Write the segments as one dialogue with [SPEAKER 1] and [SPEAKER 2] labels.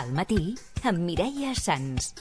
[SPEAKER 1] Al matí, amb Mireia Sans.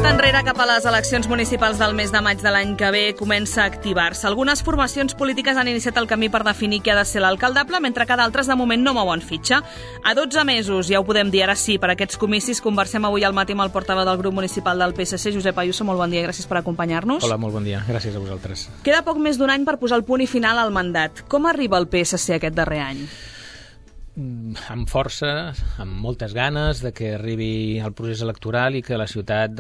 [SPEAKER 2] Enrere cap a les eleccions municipals del mes de maig de l'any que ve comença a activar-se. Algunes formacions polítiques han iniciat el camí per definir qui ha de ser l'alcaldable, mentre que d'altres de moment no mouen fitxa. A 12 mesos, ja ho podem dir ara sí, per aquests comicis conversem avui al matí amb el portaveu del grup municipal del PSC, Josep Ayuso. Molt bon dia i gràcies per acompanyar-nos.
[SPEAKER 3] Hola, molt bon dia. Gràcies a vosaltres.
[SPEAKER 2] Queda poc més d'un any per posar el punt i final al mandat. Com arriba el PSC aquest darrer any?
[SPEAKER 3] Amb força, amb moltes ganes de que arribi el procés electoral i que la ciutat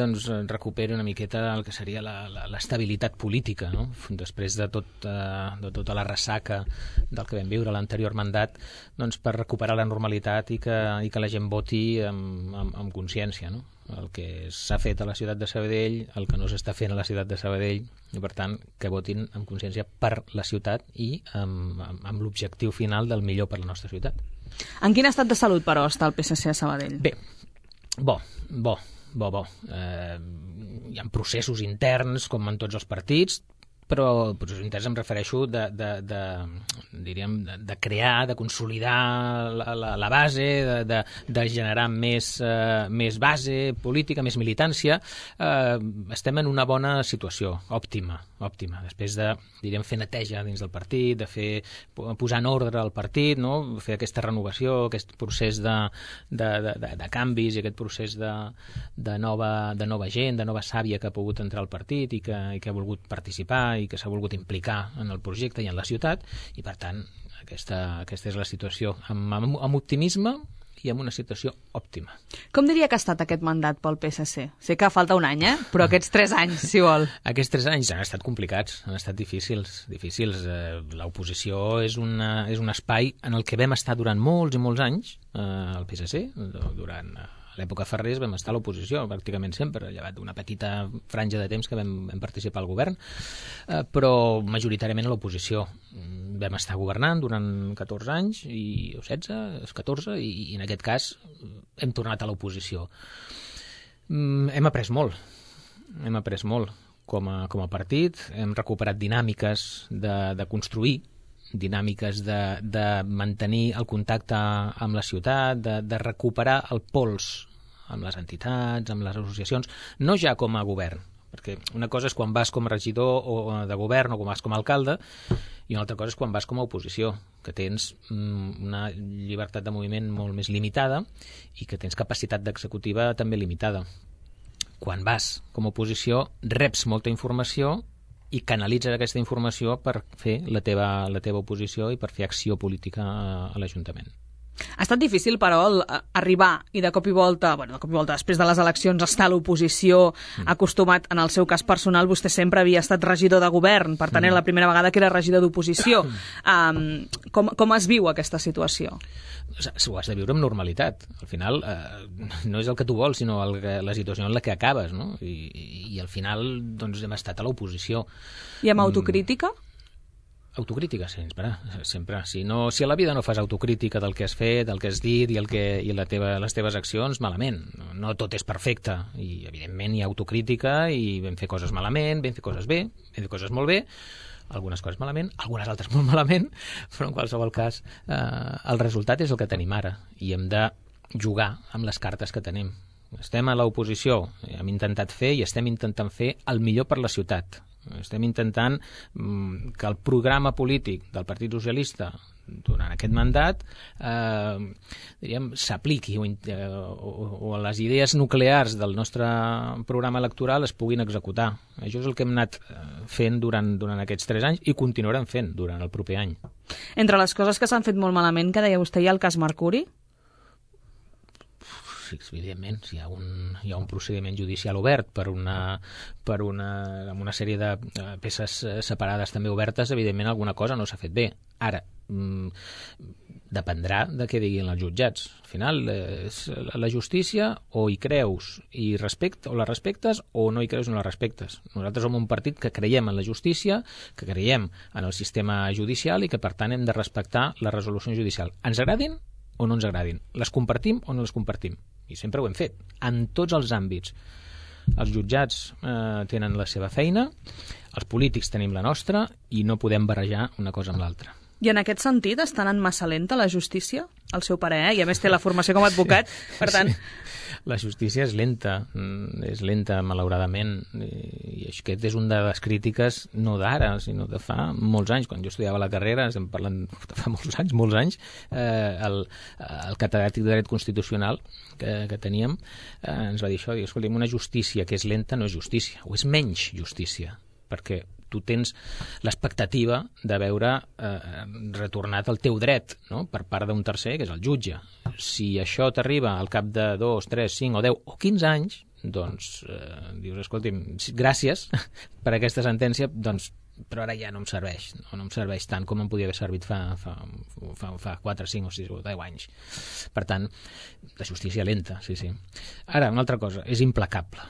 [SPEAKER 3] recuperi una miqueta el que seria l'estabilitat política, no? Després de tota la ressaca del que vam viure l'anterior mandat, per recuperar la normalitat i que la gent voti amb consciència, no? El que s'ha fet a la ciutat de Sabadell, el que no s'està fent a la ciutat de Sabadell, i per tant que votin amb consciència per la ciutat i amb l'objectiu final del millor per la nostra ciutat.
[SPEAKER 2] En quin estat de salut, però, està el PSC a Sabadell?
[SPEAKER 3] Bé, bo. Hi ha processos interns, com en tots els partits, però processos interns em refereixo de crear, de consolidar la base, de generar més base política, més militància. Estem en una bona situació, òptima. Després de, fer neteja dins del partit, de posar en ordre el partit, no? Fer aquesta renovació, aquest procés de canvis i aquest procés de nova gent, de nova sàvia que ha pogut entrar al partit i que ha volgut participar i que s'ha volgut implicar en el projecte i en la ciutat, i per tant aquesta és la situació, amb optimisme i amb una situació òptima.
[SPEAKER 2] Com diria que ha estat aquest mandat pel PSC? Sé que falta un any, però aquests 3 anys, si vol.
[SPEAKER 3] Aquests 3 anys han estat complicats, han estat difícils. L'oposició és un espai en el que vam estar durant molts i molts anys, el PSC, durant l'època Ferrés vam estar a l'oposició pràcticament sempre, llevat d'una petita franja de temps que vam participar al govern, però majoritàriament a l'oposició. Vam estar governant durant 14 anys, o 16, 14, i en aquest cas hem tornat a l'oposició. Hem après molt com a partit, hem recuperat dinàmiques de construir, dinàmiques de mantenir el contacte amb la ciutat, de recuperar el pols amb les entitats, amb les associacions, no ja com a govern, perquè una cosa és quan vas com a regidor de govern o quan vas com a alcalde, i una altra cosa és quan vas com a oposició, que tens una llibertat de moviment molt més limitada i que tens capacitat d'executiva també limitada. Quan vas com a oposició reps molta informació i canalitzes aquesta informació per fer la teva oposició i per fer acció política a l'Ajuntament.
[SPEAKER 2] Ha estat difícil, però, arribar i de cop i volta, després de les eleccions, estar a l'oposició, acostumat, en el seu cas personal, vostè sempre havia estat regidor de govern, per tant era la primera vegada que era regidor d'oposició. Com es viu aquesta situació?
[SPEAKER 3] Ho has de viure amb normalitat. Al final no és el que tu vols, sinó la situació en la que acabes, no? I al final hem estat a l'oposició.
[SPEAKER 2] I amb autocrítica?
[SPEAKER 3] Autocrítica, sempre. Si a la vida no fas autocrítica del que has fet, del que has dit i les teves accions, malament. No tot és perfecte. I, evidentment, hi ha autocrítica i vam fer coses malament, vam fer coses bé, vam fer coses molt bé, algunes coses malament, algunes altres molt malament, però en qualsevol cas el resultat és el que tenim ara i hem de jugar amb les cartes que tenim. Estem a l'oposició, hem intentat fer i estem intentant fer el millor per la ciutat. Estem intentant que el programa polític del Partit Socialista durant aquest mandat s'apliqui o les idees nuclears del nostre programa electoral es puguin executar. Això és el que hem anat fent durant aquests 3 anys i continuarem fent durant el proper any.
[SPEAKER 2] Entre les coses que s'han fet molt malament, que deia vostè, hi ha el cas Mercuri?
[SPEAKER 3] Sí, evidentment, hi ha un procediment judicial obert amb una sèrie de peces separades també obertes, evidentment alguna cosa no s'ha fet bé. Ara, dependrà de què diguin els jutjats. Al final, la justícia o hi creus o la respectes o no hi creus o no la respectes. Nosaltres som un partit que creiem en la justícia, que creiem en el sistema judicial i que, per tant, hem de respectar la resolució judicial. Ens agradin o no ens agradin. Les compartim o no les compartim. I sempre ho hem fet, en tots els àmbits. Els jutjats tenen la seva feina, els polítics tenim la nostra i no podem barrejar una cosa amb l'altra.
[SPEAKER 2] I en aquest sentit està anant massa lenta la justícia, al seu parer, i a més té la formació com a advocat, per tant...
[SPEAKER 3] La justícia és lenta, malauradament, i aquest és una de les crítiques no d'ara, sinó de fa molts anys. Quan jo estudiava la carrera, estem parlant de fa molts anys, el catedràtic de dret constitucional que teníem ens va dir això, escolta'm, una justícia que és lenta no és justícia, o és menys justícia, perquè tu tens l'expectativa de veure retornat el teu dret, no?, per part d'un tercer, que és el jutge. Si això t'arriba al cap de 2, 3, 5 o 10 o 15 anys, doncs dius, escolti'm, gràcies per aquesta sentència, doncs, però ara ja no em serveix tant com em podia haver servit fa 4, 5 o 6 o 10 anys. Per tant, la justícia lenta, sí. Ara, una altra cosa, és implacable.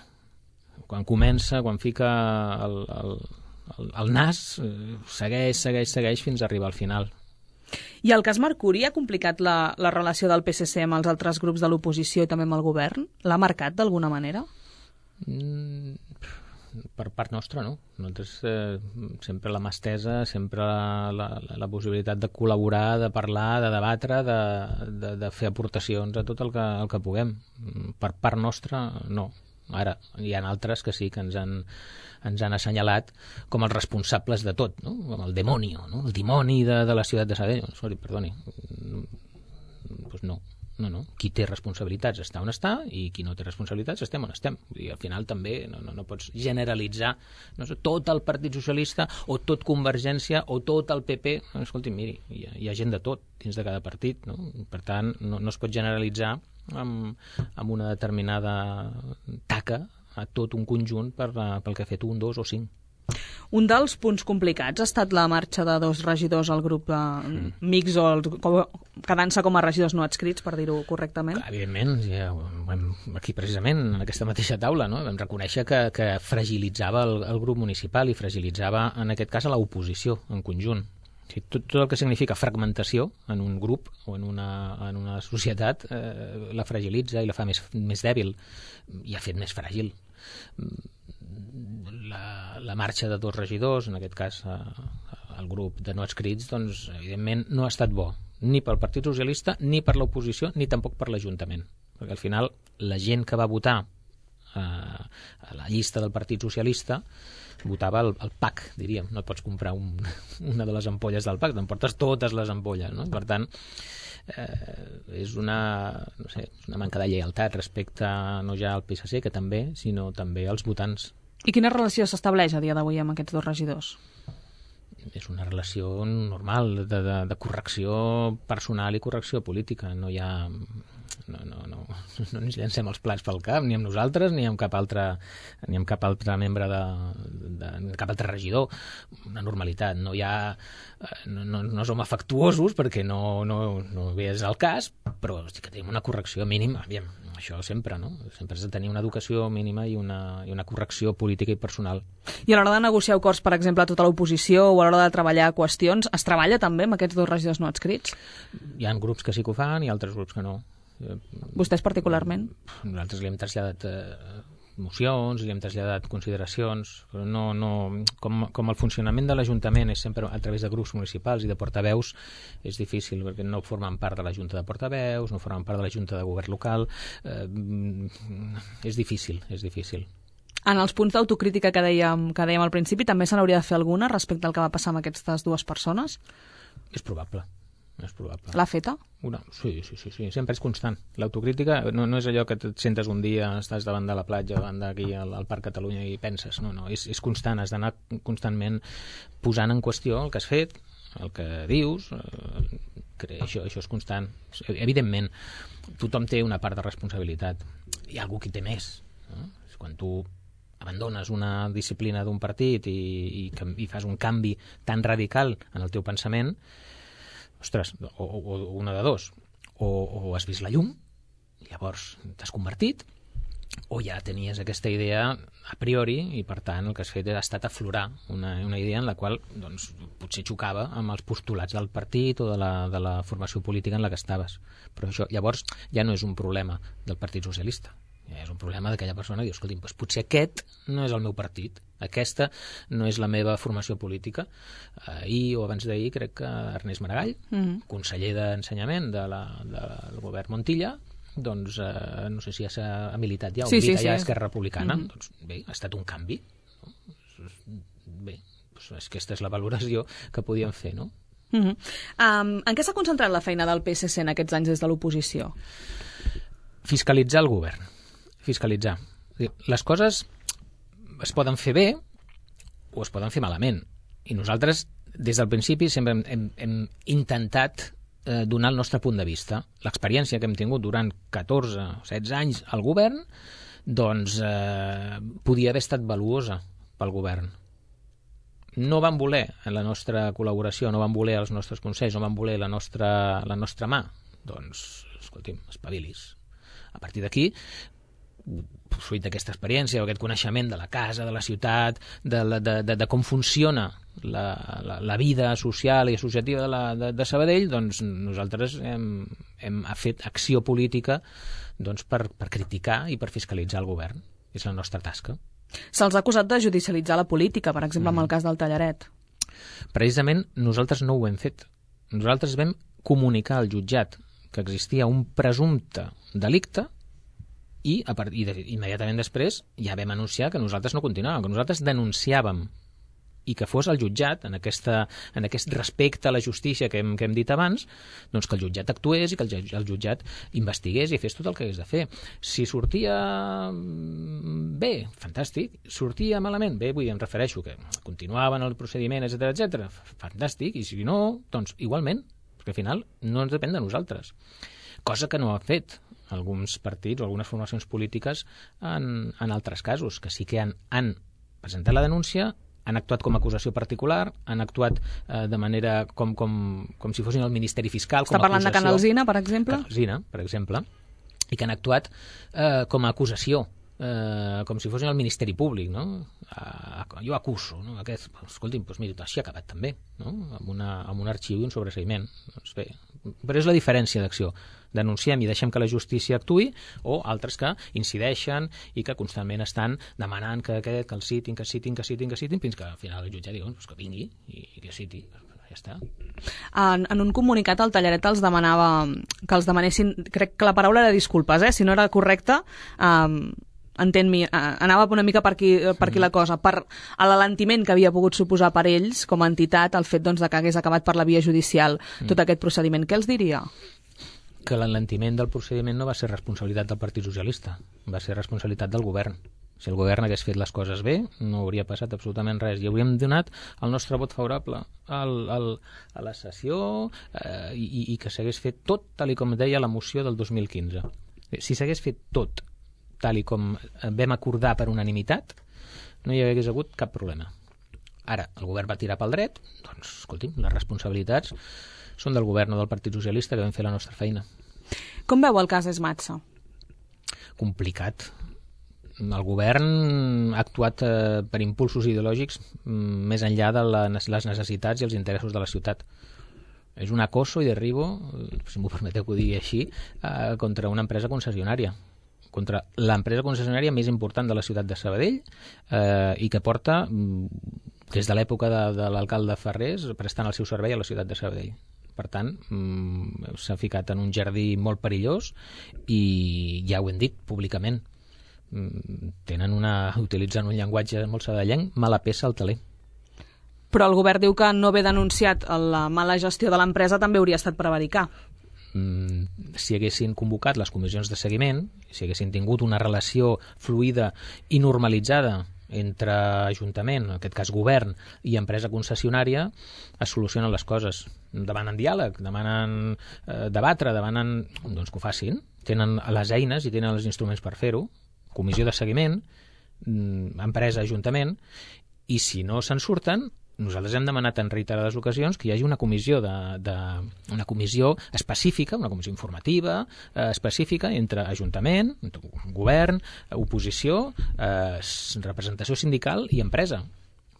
[SPEAKER 3] Quan comença, quan fica el nas, segueix fins a arribar al final.
[SPEAKER 2] I el cas Mercuri ha complicat la relació del PSC amb els altres grups de l'oposició i també amb el govern? L'ha marcat d'alguna manera?
[SPEAKER 3] Per part nostra, no. Nosaltres sempre la mà estesa, sempre la possibilitat de col·laborar, de parlar, de debatre, de fer aportacions a tot el que puguem. Per part nostra, no. Ara, hi ha altres que sí que ens han assenyalat com els responsables de tot, no? Com el demonio, no? El dimoni de la ciutat de Sabadell. Sorry, perdoni. Pues no. Qui té responsabilitats està on està i qui no té responsabilitats estem on estem. I al final també no pots generalitzar, no sé, tot el Partit Socialista o tot Convergència o tot el PP. Escolti, miri, hi ha gent de tot dins de cada partit, no? Per tant, no es pot generalitzar amb una determinada taca a tot un conjunt pel que ha fet 1, 2 o 5.
[SPEAKER 2] Un dels punts complicats ha estat la marxa de 2 regidors al grup mix o quedant-se com a regidors no adscrits, per dir-ho correctament.
[SPEAKER 3] Evidentment, ja, aquí precisament, en aquesta mateixa taula, no? Vam reconèixer que fragilitzava el grup municipal i fragilitzava, en aquest cas, a l'oposició en conjunt. O sigui, tot el que significa fragmentació en un grup o en una societat la fragilitza i la fa més dèbil i ha fet més fràgil. La marxa de 2 regidors, en aquest cas el grup de no adscrits, doncs evidentment no ha estat bo, ni pel Partit Socialista, ni per l'oposició, ni tampoc per l'Ajuntament, perquè al final la gent que va votar a la llista del Partit Socialista votava el PAC, diríem. No et pots comprar una de les ampolles del PAC, t'emportes totes les ampolles, no? Per tant, és una manca de lleialtat respecte no ja al PSC, que també, sinó també als votants.
[SPEAKER 2] I quina relació s'estableix a dia d'avui amb aquests 2 regidors?
[SPEAKER 3] És una relació normal de correcció personal i correcció política. No hi ha... No ens llancem els plats pel cap, ni amb nosaltres, ni amb cap altre membre cap altre regidor. Una normalitat. No hi ha... No som afectuosos, perquè no és el cas, però sí que tenim una correcció mínima. Aviam, això sempre, no? Sempre has de tenir una educació mínima i una correcció política i personal.
[SPEAKER 2] I a l'hora de negociar acords, per exemple, a tota l'oposició o a l'hora de treballar qüestions, es treballa també amb aquests 2 regidors no adscrits?
[SPEAKER 3] Hi ha grups que sí que ho fan i altres grups que no.
[SPEAKER 2] Vostès particularment?
[SPEAKER 3] Nosaltres li hem traslladat mocions, li hem traslladat consideracions, però com el funcionament de l'Ajuntament és sempre a través de grups municipals i de portaveus, és difícil, perquè no formen part de la Junta de Portaveus, no formen part de la Junta de Govern Local, és difícil.
[SPEAKER 2] En els punts d'autocrítica que dèiem al principi, també se n'hauria de fer alguna respecte al que va passar amb aquestes 2 persones?
[SPEAKER 3] És probable.
[SPEAKER 2] L'ha feta?
[SPEAKER 3] Sí, sempre és constant. L'autocrítica no és allò que et sentes un dia, estàs davant de la platja, davant d'aquí al Parc Catalunya i penses, no, és constant, has d'anar constantment posant en qüestió el que has fet, el que dius, això és constant. Evidentment, tothom té una part de responsabilitat, hi ha algú qui té més, no? Quan tu abandones una disciplina d'un partit i fas un canvi tan radical en el teu pensament, ostres, o una de dos, o has vist la llum, llavors t'has convertit, o ja tenies aquesta idea a priori i, per tant, el que has fet ha estat aflorar una idea en la qual doncs, potser xocava amb els postulats del partit o de la formació política en la que estaves. Però això llavors ja no és un problema del Partit Socialista, ja és un problema d'aquella persona que diu, escolti'm, doncs potser aquest no és el meu partit, aquesta no és la meva formació política. Ahir o abans d'ahir crec que Ernest Maragall, conseller d'Ensenyament del govern Montilla, doncs no sé si ja s'ha militat ja o milita ja a Esquerra Republicana. Doncs bé, ha estat un canvi. Bé, doncs aquesta és la valoració que podíem fer, no?
[SPEAKER 2] En què s'ha concentrat la feina del PSC en aquests anys des de l'oposició?
[SPEAKER 3] Fiscalitzar el govern. Fiscalitzar. Les coses es poden fer bé o es poden fer malament. I nosaltres, des del principi, sempre hem intentat donar el nostre punt de vista. L'experiència que hem tingut durant 14 o 16 anys al govern, doncs podia haver estat valuosa pel govern. No van voler la nostra col·laboració, no van voler els nostres consells, no van voler la nostra mà. Doncs, escolti'm, espavilis. A partir d'aquí, fruit d'aquesta experiència o aquest coneixement de la casa, de la ciutat, de com funciona la vida social i associativa de Sabadell, doncs nosaltres hem fet acció política doncs, per criticar i per fiscalitzar el govern. És la nostra tasca.
[SPEAKER 2] Se'ls ha acusat de judicialitzar la política, per exemple, amb el cas del Tallaret. Precisament
[SPEAKER 3] nosaltres no ho hem fet. Nosaltres vam comunicar al jutjat que existia un presumpte delicte i immediatament després ja vam anunciar que nosaltres no continuàvem, que nosaltres denunciàvem i que fos el jutjat, en aquest respecte a la justícia que hem dit abans, doncs que el jutjat actués i que el jutjat investigués i fes tot el que hagués de fer. Si sortia bé, fantàstic. Sortia malament, bé, em refereixo que continuaven el procediment, etc, fantàstic, i si no, doncs igualment, perquè al final no ens depèn de nosaltres. Cosa que no ha fet alguns partits o algunes formacions polítiques en altres casos, que sí que han presentat la denúncia, han actuat com a acusació particular, han actuat de manera com si fossin el Ministeri Fiscal.
[SPEAKER 2] Està parlant de Canalzina, per exemple?
[SPEAKER 3] Canalzina, per exemple, i que han actuat com a acusació, com si fossin el Ministeri Públic, no? Jo acuso, no? Escolti'm, doncs mira, així ha acabat també, no? Amb un arxiu i un sobreseïment. Doncs bé, però és la diferència d'acció. Denunciem i deixem que la justícia actuï, o altres que incideixen i que constantment estan demanant que el citin, fins que al final el jutge digui que vingui i que citi. Ja està.
[SPEAKER 2] En un comunicat el Tallaret els demanava que els demanessin, crec que la paraula era disculpes, si no era correcta, entén-me, anava una mica per aquí la cosa, per l'alentiment que havia pogut suposar per ells com a entitat el fet doncs, de que hagués acabat per la via judicial tot aquest procediment. Què els diria?
[SPEAKER 3] Que l'alentiment del procediment no va ser responsabilitat del Partit Socialista, va ser responsabilitat del govern. Si el govern hagués fet les coses bé, no hauria passat absolutament res. I hauríem donat el nostre vot favorable a la sessió i que s'hagués fet tot tal com deia la moció del 2015. Si s'hagués fet tot tal com vam acordar per unanimitat, no hi hagués hagut cap problema. Ara, el govern va tirar pel dret, doncs, escolti'm, les responsabilitats són del govern o del Partit Socialista, que vam fer la nostra feina.
[SPEAKER 2] Com veu el cas Esmatsa?
[SPEAKER 3] Complicat. El govern ha actuat per impulsos ideològics més enllà de les necessitats i els interessos de la ciutat. És un acoso i derribo, si m'ho permeteu que ho digui així, contra una empresa concessionària, contra l'empresa concessionària més important de la ciutat de Sabadell i que porta, des de l'època de l'alcalde Ferrés, prestant el seu servei a la ciutat de Sabadell. Per tant, s'ha ficat en un jardí molt perillós i ja ho hem dit públicament. Utilitzen un llenguatge molt sabadellenc, mala peça al taler.
[SPEAKER 2] Però el govern diu que no haver denunciat la mala gestió de l'empresa també hauria estat prevaricar.
[SPEAKER 3] Si haguessin convocat les comissions de seguiment, si haguessin tingut una relació fluida i normalitzada entre Ajuntament, en aquest cas govern, i empresa concessionària, es solucionen les coses. Demanen diàleg, demanen debatre, demanen doncs que ho facin. Tenen les eines i tenen els instruments per fer-ho. Comissió de seguiment, empresa, Ajuntament, i si no se'n surten, nosaltres hem demanat en reiterades ocasions que hi hagi una comissió una comissió específica, una comissió informativa específica entre Ajuntament, entre govern, oposició, representació sindical i empresa,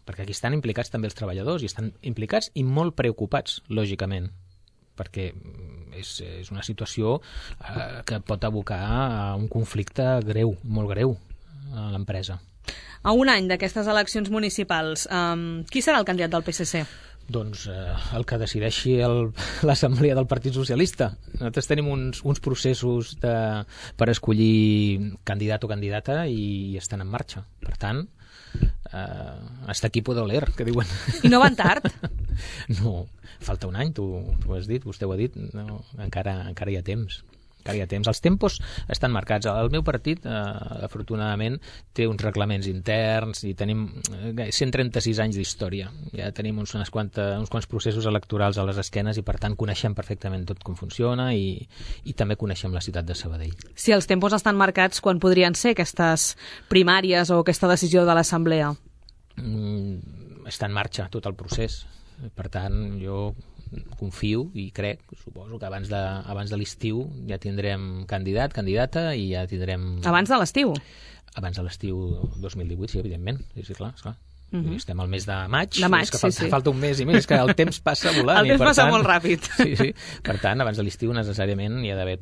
[SPEAKER 3] perquè aquí estan implicats també els treballadors i estan implicats i molt preocupats, lògicament, perquè és una situació que pot abocar a un conflicte greu, molt greu a l'empresa.
[SPEAKER 2] A un any d'aquestes eleccions municipals, qui serà el candidat del PSC?
[SPEAKER 3] Doncs el que decideixi l'Assemblea del Partit Socialista. Nosaltres tenim uns processos per escollir candidat o candidata i estan en marxa. Per tant, hasta aquí puedo leer, que diuen.
[SPEAKER 2] I no van tard?
[SPEAKER 3] No, falta un any, tu ho has dit, vostè ho ha dit, no, encara hi ha temps. Els tempos estan marcats. El meu partit, afortunadament, té uns reglaments interns i tenim 136 anys d'història. Ja tenim uns quants processos electorals a les esquenes i, per tant, coneixem perfectament tot com funciona i també coneixem la ciutat de Sabadell.
[SPEAKER 2] Si els tempos estan marcats, quan podrien ser aquestes primàries o aquesta decisió de l'Assemblea?
[SPEAKER 3] Està en marxa tot el procés. Per tant, jo confio i crec, suposo que abans de l'estiu ja tindrem candidat, candidata i ja tindrem...
[SPEAKER 2] Abans de l'estiu?
[SPEAKER 3] Abans de l'estiu 2018, sí, evidentment. Sí, clar. Estem al mes de maig.
[SPEAKER 2] És
[SPEAKER 3] que falta un mes i més, que el temps passa volant.
[SPEAKER 2] El temps passa molt ràpid.
[SPEAKER 3] Sí. Per tant, abans de l'estiu necessàriament hi ha d'haver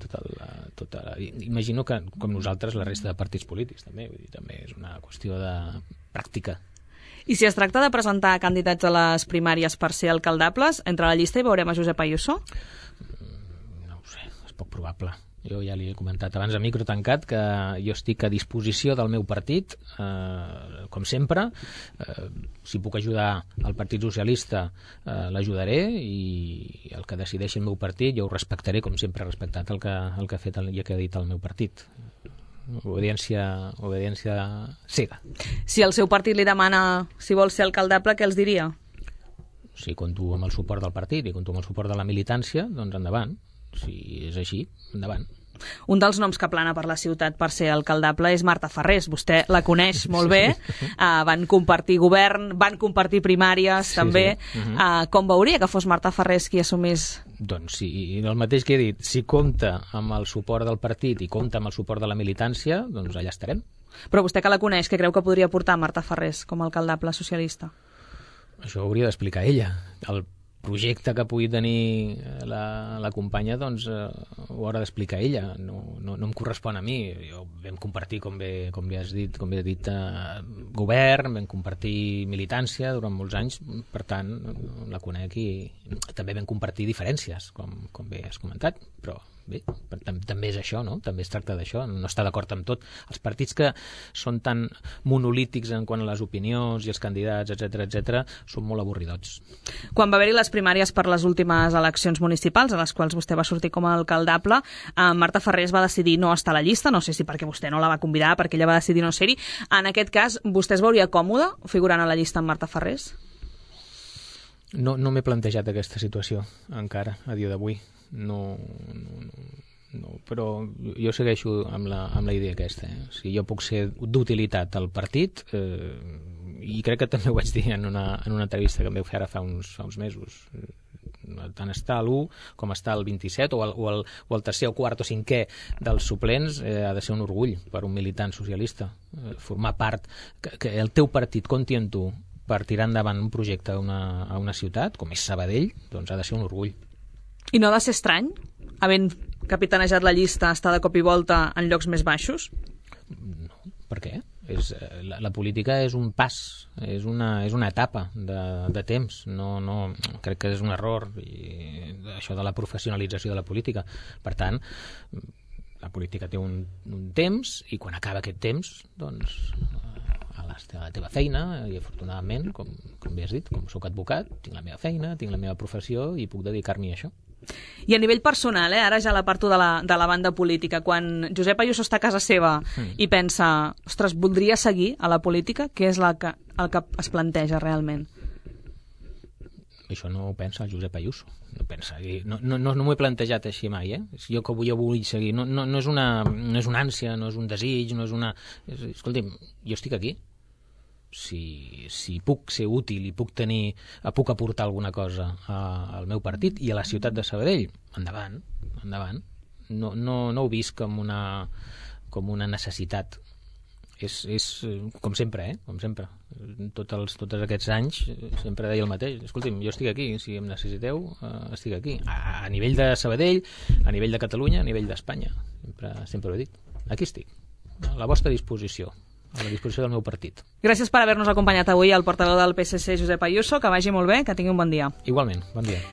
[SPEAKER 3] imagino que, com nosaltres, la resta de partits polítics també. Vull dir, també és una qüestió de pràctica.
[SPEAKER 2] I si es tracta de presentar candidats a les primàries per ser alcaldables, entre la llista hi veurem a Josep Ayuso?
[SPEAKER 3] No ho sé, és poc probable. Jo ja li he comentat abans a micro tancat que jo estic a disposició del meu partit, com sempre. Si puc ajudar el Partit Socialista, l'ajudaré, i el que decideixi el meu partit jo ho respectaré, com sempre he respectat el que ha fet i el que ha dit el meu partit. Obediència cega.
[SPEAKER 2] Si el seu partit li demana si vol ser alcaldable, què els diria?
[SPEAKER 3] Si compto amb el suport del partit i compto amb el suport de la militància, doncs endavant. Si és així, endavant.
[SPEAKER 2] Un dels noms que plana per la ciutat per ser alcaldable és Marta Farrés. Vostè la coneix molt bé. Van compartir govern, van compartir primàries, també. Sí. Com veuria que fos Marta Farrés qui assumís?
[SPEAKER 3] Doncs sí, el mateix que he dit. Si compta amb el suport del partit i compta amb el suport de la militància, doncs allà estarem.
[SPEAKER 2] Però vostè que la coneix, què creu que podria portar Marta Farrés com a alcaldable socialista?
[SPEAKER 3] Això ho hauria d'explicar ella. El projecte que pugui tenir la companya, doncs ho haurà d'explicar ella. No em correspon a mi. Jo vam compartir, com bé has dit, govern, vam compartir militància durant molts anys, per tant la conec, i també vam compartir diferències, com bé has comentat, però bé, també és això, no? També es tracta d'això, no està d'acord amb tot. Els partits que són tan monolítics en quant a les opinions i els candidats, etc., són molt avorridots.
[SPEAKER 2] Quan va haver-hi les primàries per les últimes eleccions municipals, a les quals vostè va sortir com a alcaldable, Marta Farrés va decidir no estar a la llista, no sé si perquè vostè no la va convidar, perquè ella va decidir no ser-hi. En aquest cas, vostè es veuria còmode figurant a la llista amb Marta Farrés?
[SPEAKER 3] No m'he plantejat aquesta situació encara, a dia d'avui. No, però jo segueixo amb la idea aquesta. Si jo puc ser d'utilitat al partit, i crec que també ho vaig dir en una entrevista que em vau fer ara fa uns mesos, tant està l'1 com està el 27 o el tercer o quart o cinquè dels suplents, ha de ser un orgull per un militant socialista. Formar part, que el teu partit compti en tu per tirar endavant un projecte a una ciutat, com és Sabadell, doncs ha de ser un orgull.
[SPEAKER 2] I no ha de ser estrany, havent capitanejat la llista, estar de cop i volta en llocs més baixos?
[SPEAKER 3] No, per què? La política és un pas, és una etapa de temps. No, crec que és un error, i això de la professionalització de la política. Per tant, la política té un temps, i quan acaba aquest temps, doncs a la teva feina, i afortunadament, com bé has dit, com soc advocat, tinc la meva feina, tinc la meva professió i puc dedicar-m'hi a això.
[SPEAKER 2] I a nivell personal, ara ja l'aparto de la banda política, quan Josep Ayuso està a casa seva i pensa, ostres, voldria seguir a la política, què és el que es planteja realment?
[SPEAKER 3] Això no ho pensa el Josep Ayuso. No m'ho he plantejat així mai, Jo vull seguir. No és una ànsia, no és un desig, no és una... Escolti'm, jo estic aquí. si puc ser útil i puc aportar alguna cosa al meu partit i a la ciutat de Sabadell, endavant. No ho visc com una necessitat. És com sempre, com sempre. Tots aquests anys sempre deia el mateix. Escolti'm, jo estic aquí, si em necessiteu, estic aquí. A nivell de Sabadell, a nivell de Catalunya, a nivell d'Espanya. Sempre ho he dit. Aquí estic, a la vostra disposició, a la disposició del meu partit.
[SPEAKER 2] Gràcies per haver-nos acompanyat avui el portaveu del PSC, Josep Ayuso. Que vagi molt bé, que tingui un bon dia.
[SPEAKER 3] Igualment, bon dia.